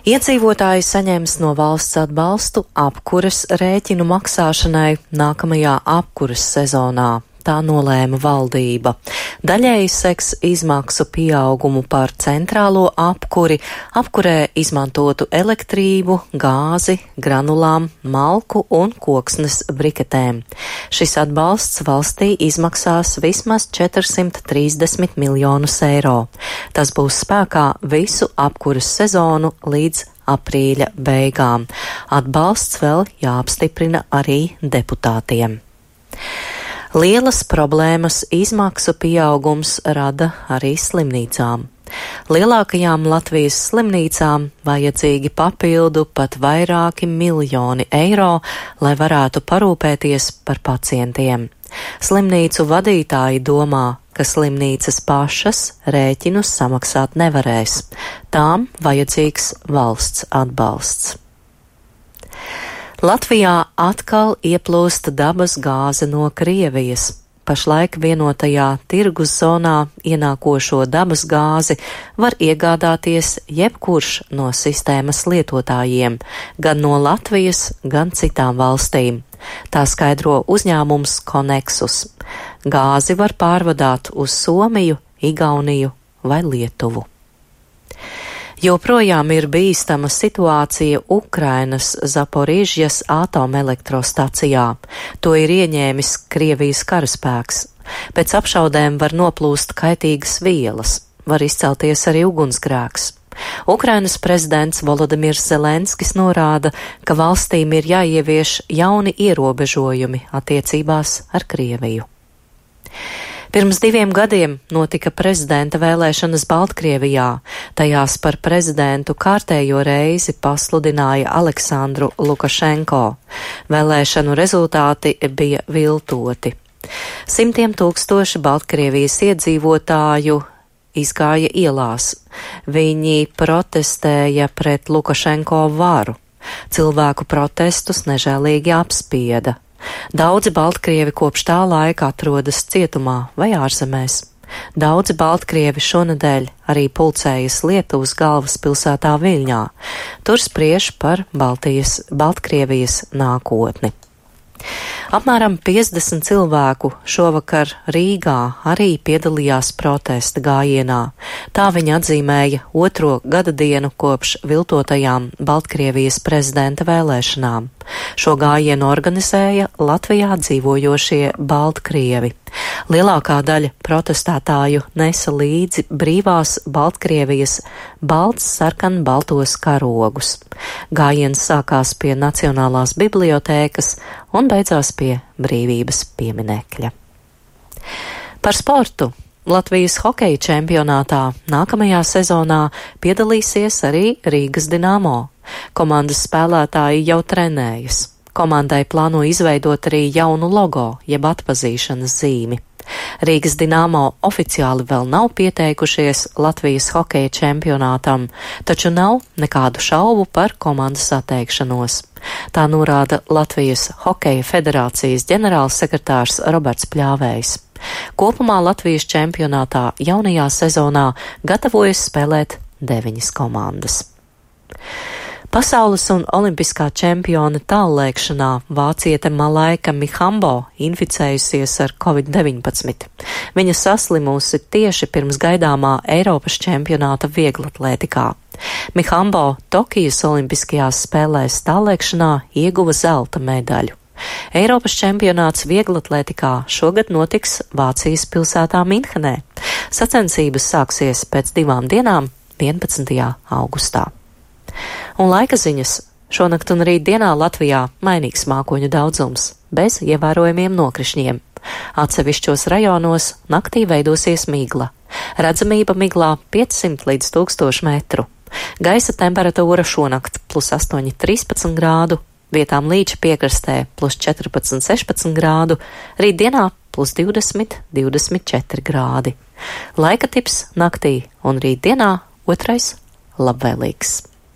Iedzīvotāji saņems no valsts atbalstu apkures rēķinu maksāšanai nākamajā apkures sezonā. Tā nolēma valdība. Daļēji seks izmaksu pieaugumu par centrālo apkuri, apkurē izmantotu elektrību, gāzi, granulām, malku un koksnes briketēm. Šis atbalsts valstī izmaksās vismaz 430 miljonus eiro. Tas būs spēkā visu apkuras sezonu līdz aprīļa beigām. Atbalsts vēl jāapstiprina arī deputātiem. Lielas problēmas izmaksu pieaugums rada arī slimnīcām. Lielākajām Latvijas slimnīcām vajadzīgi papildu pat vairāki miljoni eiro, lai varētu parūpēties par pacientiem. Slimnīcu vadītāji domā, ka slimnīcas pašas rēķinus samaksāt nevarēs. Tām vajadzīgs valsts atbalsts. Latvijā atkal ieplūst dabas gāze no Krievijas. Pašlaik vienotajā tirgus zonā ienākošo dabas gāzi var iegādāties jebkurš no sistēmas lietotājiem, gan no Latvijas, gan citām valstīm. Tā skaidro uzņēmums Konexus. Gāzi var pārvadāt uz Somiju, Igauniju vai Lietuvu. Joprojām ir bīstama situācija Ukrainas Zaporižjas atomelektrostacijā. To ir ieņēmis Krievijas karaspēks. Pēc apšaudēm var noplūst kaitīgas vielas, var izcelties arī ugunsgrēks. Ukrainas prezidents Volodimirs Zelenskis norāda, ka valstīm ir jāievieš jauni ierobežojumi attiecībās ar Krieviju. Pirms 2 gadiem notika prezidenta vēlēšanas Baltkrievijā. Tajās par prezidentu kārtējo reizi pasludināja Aleksandru Lukašenko. Vēlēšanu rezultāti bija viltoti. Simtiem tūkstoši Baltkrievijas iedzīvotāju izgāja ielās. Viņi protestēja pret Lukašenko varu. Cilvēku protestus nežēlīgi apspieda. Daudzi baltkrievi kopš tā laika atrodas cietumā vai ārzemēs. Daudzi baltkrievi šonedēļ arī pulcējas Lietuvas galvaspilsētā Viļņā. Tur spriež par Baltkrievijas nākotni. Apmēram 50 cilvēku šovakar Rīgā arī piedalījās protesta gājienā. Tā viņi atzīmēja 2. gada dienu kopš viltotajām Baltkrievijas prezidenta vēlēšanām. Šo gājienu organizēja Latvijā dzīvojošie Baltkrievi. Lielākā daļa protestētāju nesa līdzi brīvās Baltkrievijas balts sarkan baltos karogus. Gājiens sākās pie Nacionālās bibliotēkas un beidzās pie Brīvības pieminekļa. Par sportu. Latvijas hokeja čempionātā nākamajā sezonā piedalīsies arī Rīgas Dinamo. Komandas spēlētāji jau trenējas. Komandai plāno izveidot arī jaunu logo, jeb atpazīšanas zīmi. Rīgas Dinamo oficiāli vēl nav pieteikušies Latvijas hokeja čempionātam, taču nav nekādu šaubu par komandas atteikšanos. Tā norāda Latvijas hokeja federācijas ģenerālsekretārs Roberts Pļāvējs. Kopumā Latvijas čempionātā jaunajā sezonā gatavojas spēlēt 9 komandas. Pasaules un olimpiskā čempione tāllēkšanā vāciete Malaika Mihambo inficējusies ar Covid-19. Viņa saslimusi tieši pirms gaidāmā Eiropas čempionāta vieglatlētikā. Mihambo Tokijas olimpiskajās spēlēs tāllēkšanā ieguva zelta medaļu. Eiropas čempionāts vieglatlētikā šogad notiks Vācijas pilsētā Minhenē. Sacensības sāksies pēc 2 dienām 11. augustā. Un laika ziņas. Šonakt un rītdienā Latvijā mainīgs mākoņu daudzums, bez ievērojamiem nokrišņiem. Atsevišķos rajonos naktī veidosies migla. Redzamība miglā 500 līdz 1000 metru. Gaisa temperatūra šonakt +8, 13 grādu, vietām līča piekrastē +14, 16 grādu, rītdienā +20, 24 grādi. Laika tips naktī un rītdienā 2. labvēlīgs.